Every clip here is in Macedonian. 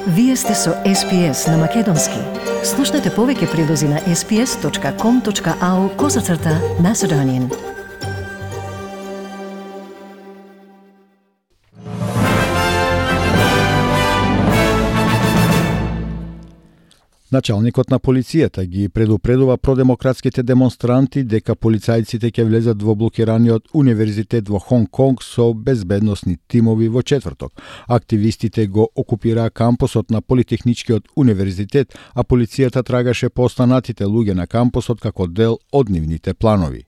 Вие сте со SPS на Македонски. Слушнете повеќе прилози на sps.com.au/Macedonian. Началникот на полицијата ги предупредува продемократските демонстранти дека полицајците ќе влезат во блокираниот универзитет во Хонг Конг со безбедносни тимови во четврток. Активистите го окупираа кампусот на Политехничкиот универзитет, а полицијата трагаше по останатите луѓе на кампусот како дел од нивните планови.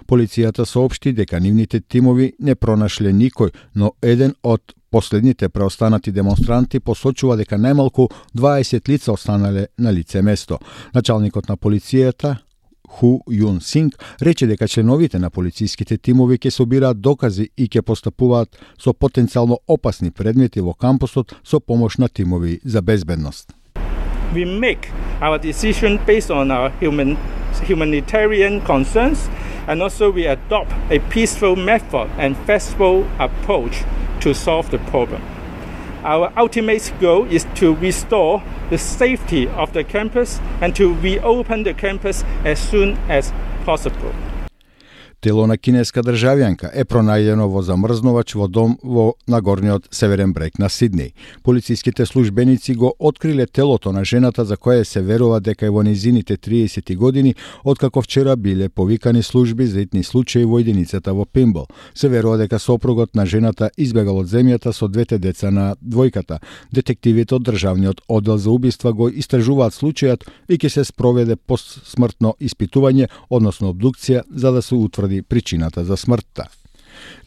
Полицијата соопшти дека нивните тимови не пронашле никој, но еден од последните преостанати демонстранти посочува дека најмалку 20 лица останале на лице место. Началникот на полицијата Ху Юн Синг рече дека членовите на полициските тимови ќе собираат докази и ќе постапуваат со потенцијално опасни предмети во кампусот со помош на тимови за безбедност. We make our decision based on our humanitarian concerns, and also we adopt a peaceful method and flexible approach to solve the problem. Our ultimate goal is to restore the safety of the campus and to reopen the campus as soon as possible. Тело на кинеска државјанка е пронајдено во замрзнувач во дом во нагорниот северен брег на Сиднеј. Полициските службеници го откриле телото на жената за која се верува дека е во низините 30 години, откако вчера биле повикани служби за итни случаи во единицата во Пимбл. Се верува дека сопругот на жената избегал од земјата со двете деца на двојката. Детективите од државниот оддел за убиства го истражуваат случајот и ќе се спроведе постсмртно испитување, односно обдукција, за да се утврди причината за смртта.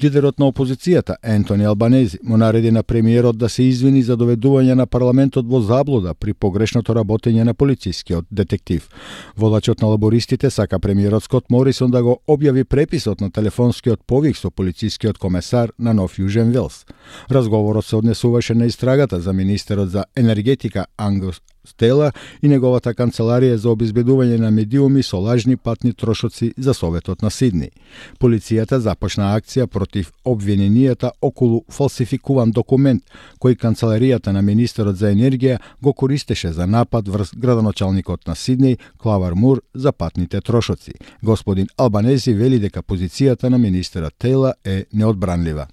Лидерот на опозицијата, Ентони Албанези, му нареди на премиерот да се извини за доведување на парламентот во заблуда при погрешното работење на полицискиот детектив. Водачот на лабористите сака премиерот Скот Морисон да го објави преписот на телефонскиот повик со полицискиот комесар на Нов Јужен Велс. Разговорот се однесуваше на истрагата за министерот за енергетика Ангус Стела и неговата канцеларија за обезбедување на медиуми со лажни патни трошоци за Советот на Сиднеј. Полицијата започна акција против обвиненијата околу фалсификуван документ кој канцеларијата на министерот за енергија го користеше за напад врз градоначалникот на Сиднеј Клавар Мур за патните трошоци. Господин Албанези вели дека позицијата на министерот Тейла е неодбранлива.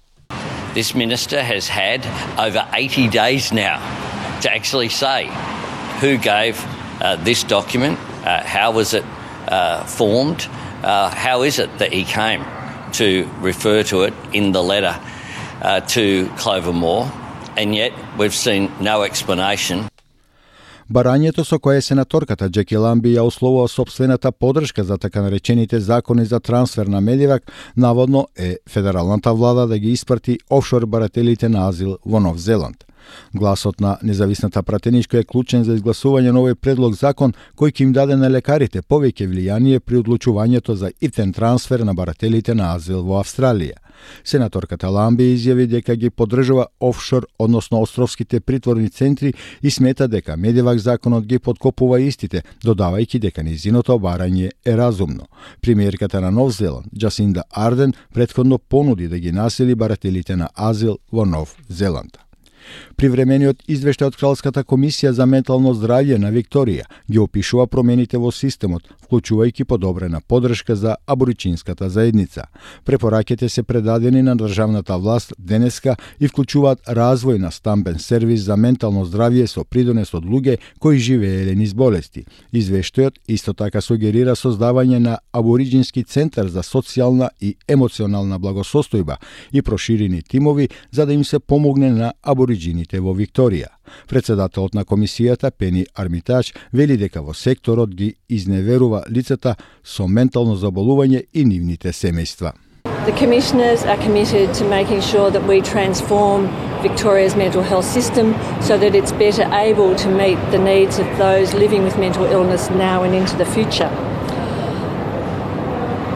This minister has had over 80 days now to actually say who gave this document, how was it formed, how is it that he came to refer to it in the letter to Clover Moore, and yet we've seen no explanation. Барањето со кое сенаторката Джеки Ламби ја условува сопствената подршка за така наречените закони за трансфер на Медивак, наводно е федералната влада да ги испрати офшор барателите на азил во Нов Зеланд. Гласот на независната пратеничка е клучен за изгласување на овој предлог закон кој ќе им даде на лекарите повеќе влијание при одлучувањето за ифтен трансфер на барателите на азил во Австралија. Сенаторката Ламби изјави дека ги поддржува офшор, односно островските притворни центри и смета дека Медивак законот ги подкопува истите, додавајќи дека низиното барање е разумно. Премиерката на Нов Зеланд, Джасинда Арден, претходно понуди да ги насили барателите на азил во Нов Зеланд. Привремениот извештај од Кралската комисија за ментално здравје на Викторија ги опишува промените во системот, вклучувајќи подобрена поддршка за аборичинската заедница. Препораките се предадени на државната власт денеска и вклучуваат развој на стамбен сервис за ментално здравје со придонес од луѓе кои живееле низ болести. Извештајот исто така сугерира создавање на абориджински центар за социјална и емоционална благосостојба и проширени тимови за да им се помогне на абориджините во Викторија. Председателот на комисијата Пени Армитач вели дека во секторот ги изневерува лицата со ментално заболување и нивните семејства. The commissioners are committed to making sure that we transform Victoria's mental health system so that it's better able to meet the needs of those living with mental illness now and into the future.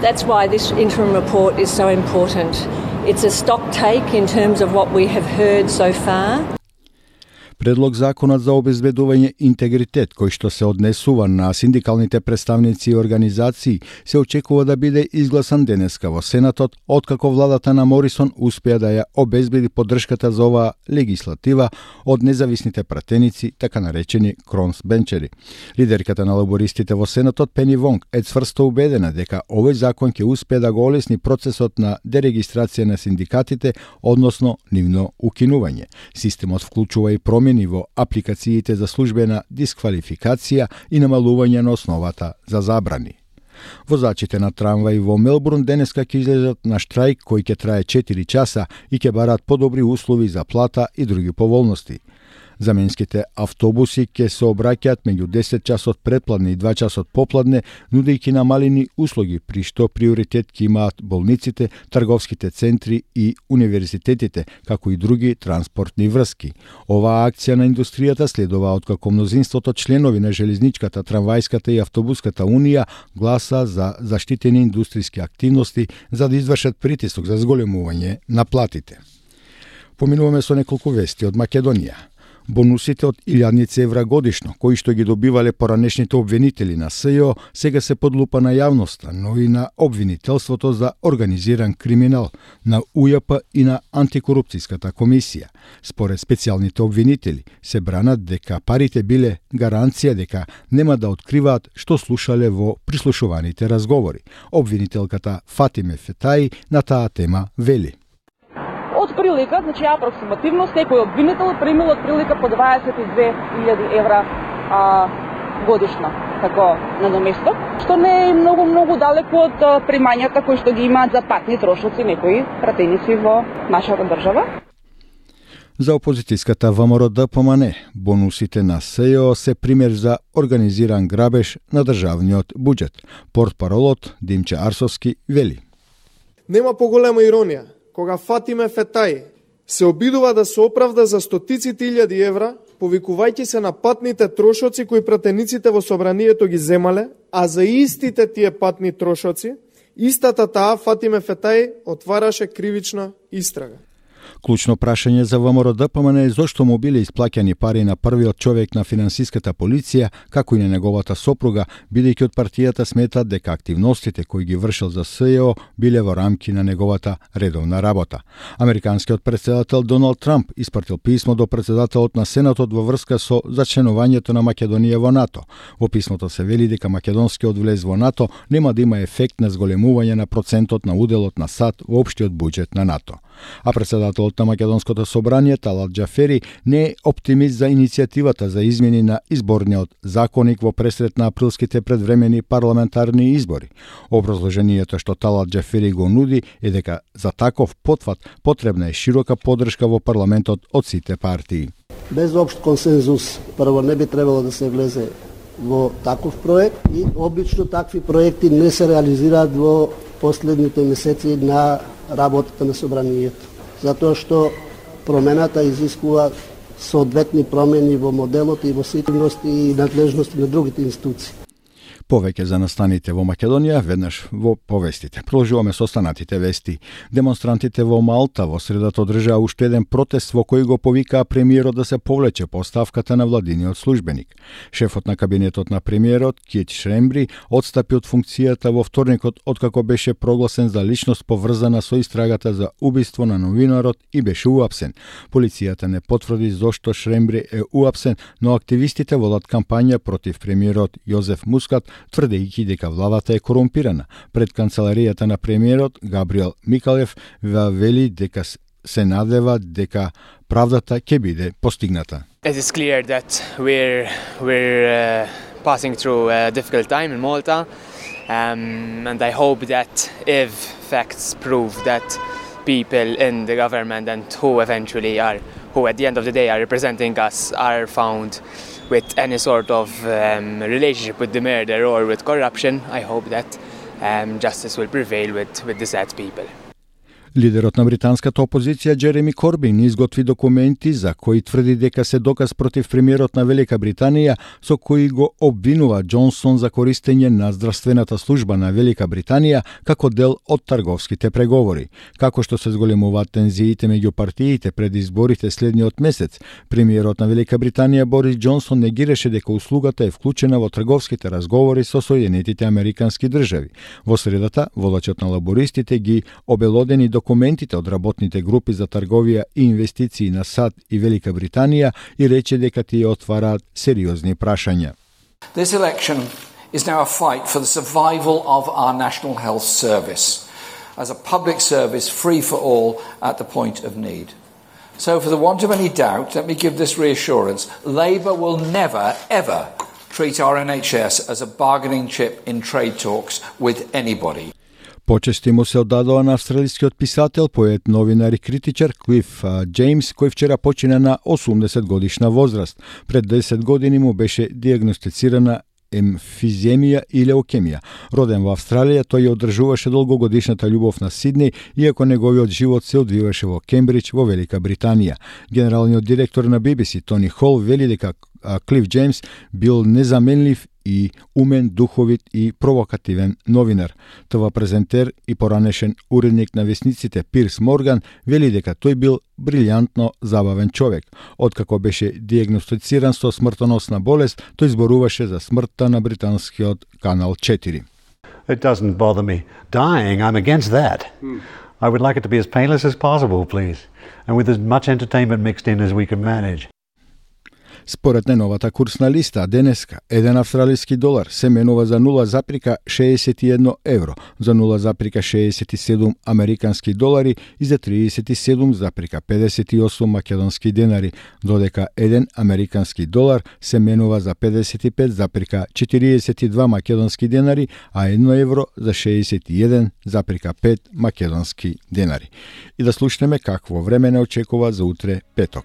That's why this interim report is so important. It's a stock take in terms of what we have heard so far. Предлог законот за обезбедување интегритет, кој што се однесува на синдикалните представници и организации, се очекува да биде изгласан денеска во Сенатот, откако владата на Морисон успеа да ја обезбеди поддршката за оваа легислатива од независните пратеници, така наречени кронсбенчери. Лидерката на лабористите во Сенатот Пени Вонг е цврсто убедена дека овој закон ќе успее да го олесни процесот на дерегистрација на синдикатите, односно нивно укинување. Системот вклучува и промени во апликациите за службена дисквалификација и намалување на основата за забрани. Возачите на трамваи во Мелбурн денеска ќе излезат на штрајк кој ќе трае 4 часа и ќе бараат подобри услови за плата и други поволности. Заменските автобуси ќе се обраќаат меѓу 10 часот предпладне и 2 часот попладне, нудејќи намалени услуги, при што приоритет ќе имаат болниците, трговските центри и универзитетите, како и други транспортни врски. Оваа акција на индустријата следува откако мнозинството членови на железничката, трамвајската и автобуската унија гласа за заштитени индустријски активности за да извршат притисок за зголемување на платите. Поминуваме со неколку вести од Македонија. Бонусите од 1000 евра годишно, кои што ги добивале поранешните обвинители на СЈО, сега се под лупа на јавноста, но и на обвинителството за организиран криминал, на УЈП и на антикорупцијската комисија. Според специјалните обвинители, се бранат дека парите биле гаранција дека нема да откриваат што слушале во прислушуваните разговори. Обвинителката Фатиме Фетаи на таа тема вели: Од прилика, значи апроксимативно, секој обвинител примил од прилика по 22.000 евра годишно, како надоместок, што не е многу далеко од примањата кои што ги имаат за патни трошоци некои пратеници во нашата држава. За опозицијската ВМРО-ДПМН, бонусите на СЈО се пример за организиран грабеж на државниот буџет. Портпаролот Димче Арсовски вели: Нема поголема иронија кога Фатиме Фетаи се обидува да се оправда за стотиците илјади евра, повикувајќи се на патните трошоци кои пратениците во собранието ги земале, а за истите тие патни трошоци, истата таа Фатиме Фетаи отвараше кривична истрага. Клучно прашање за ВМРО-ДПМН е зошто му биле исплаќани пари на првиот човек на финансиската полиција, како и на неговата сопруга, бидејќи од партијата сметат дека активностите кои ги вршил за СЈО биле во рамки на неговата редовна работа. Американскиот претседател Доналд Трамп испратил писмо до претседателот на Сенатот во врска со зачленувањето на Македонија во НАТО. Во писмото се вели дека македонскиот влез во НАТО нема да има ефект на зголемување на процентот на уделот на САД во општиот буџет на НАТО. А претседателот на Македонското собрание Талат Џафери не е оптимист за иницијативата за измени на изборниот законник во пресред на априлските предвремени парламентарни избори. Образложението што Талат Џафери го нуди е дека за таков потфат потребна е широка поддршка во парламентот од сите партии. Без општ консензус, прво не би требало да се влезе во таков проект и обично такви проекти не се реализираат во последните месеци на работата на собранието. Затоа што промената изискува соодветни промени во моделот и во ситности и надлежности на другите институции. Повеќе за настаните во Македонија веднаш во повестите. Продолжуваме со останатите вести. Демонстрантите во Малта во средата одржаа уште еден протест во кој го повикаа премиерот да се повлече по оставката на владиниот службеник. Шефот на кабинетот на премиерот, Кит Шрембри, отстапи од функцијата во вторникот откако беше прогласен за личност поврзана со истрагата за убиство на новинарот и беше уапсен. Полицијата не потврди зошто Шрембри е уапсен, но активистите водат кампања против премиерот Јозеф Мускат, тврдејќи дека владата е корумпирана. Пред канцеларијата на премиерот Габриел Микалев вели дека се надева дека правдата ќе биде постигната. It is clear that we're passing through a difficult time in Malta, and I hope that if facts prove that people in the government and who at the end of the day are representing us are found with any sort of relationship with the murder or with corruption, I hope that justice will prevail with the sad people. Лидерот на британската опозиција Джереми Корбин изготви документи за кои тврди дека се доказ против премиерот на Велика Британија, со кои го обвинува Џонсон за користење на здравствената служба на Велика Британија како дел од трговските преговори. Како што се зголемуваат тензиите меѓу партиите пред изборите следниот месец, премиерот на Велика Британија Борис Џонсон негираше дека услугата е вклучена во трговските разговори со Соединетите Американски држави. Во средата, водачот на лабористите ги обелодени документите од работните групи за трговија и инвестиции на САД и Велика Британија и рече дека тие отвараат сериозни прашања. This election is now a fight for the survival of our National Health Service as a public service free for all at the point of need. So for the want of any doubt, let me give this reassurance. Labour will never, ever treat our NHS as a bargaining chip in trade talks with anybody. Почести му се одадоа на австралискиот писател, поет, новинар и критичар Клиф Џејмс, кој вчера почина на 80 годишна возраст. Пред 10 години му беше диагностицирана емфиземија и леукемија. Роден во Австралија, тој ја одржуваше долгогодишната љубов на Сиднеј, иако неговиот живот се одвиваше во Кембридж, во Велика Британија. Генералниот директор на BBC, Тони Хол, вели дека Клиф Џејмс бил незаменлив и умен, духовит и провокативен новинар. ТВ презентер и поранешен уредник на весниците Пирс Морган вели дека тој бил брилјантно забавен човек. Откако беше диагностициран со смртоносна болест, тој зборуваше за смртта на британскиот Канал 4. It doesn't bother me. Dying, I'm against that. I would like it to be as painless as possible, please, and with as much entertainment mixed in as we can manage. Според најновата курсна листа, денеска, 1 австралиски долар се менува за 0,61 евро, за 0,67 американски долари и за 37,58 македонски денари, додека 1 американски долар се менува за 55,42 македонски денари, а 1 евро за 61,5 македонски денари. И да слушнеме какво време не очекува за утре петок.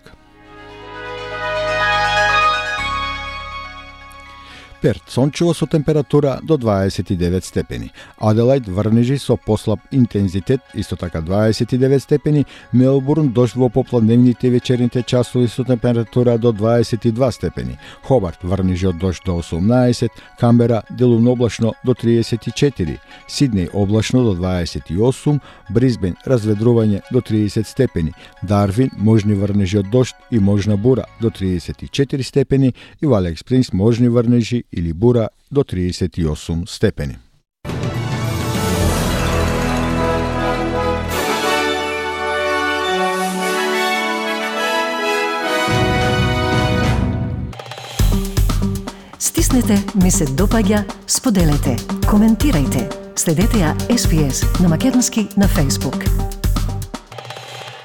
Перт сончево со температура до 29 степени. Аделајд врнежи со послаб интензитет, исто така 29 степени. Мелбурн дожд во попладневните и вечерните часови со температура до 22 степени. Хобарт врнежи од дожд до 18, Камбера делумно облачно до 34, Сиднеј облачно до 28, Брисбен разведрување до 30 степени, Дарвин можни врнежи од дожд и можна бура до 34 степени и во Алекс Спрингс можни врнежи или бура до 38 степени. Стиснете, ми се допаѓа, споделете, коментирајте. Следете ја SPS на Македонски на Facebook.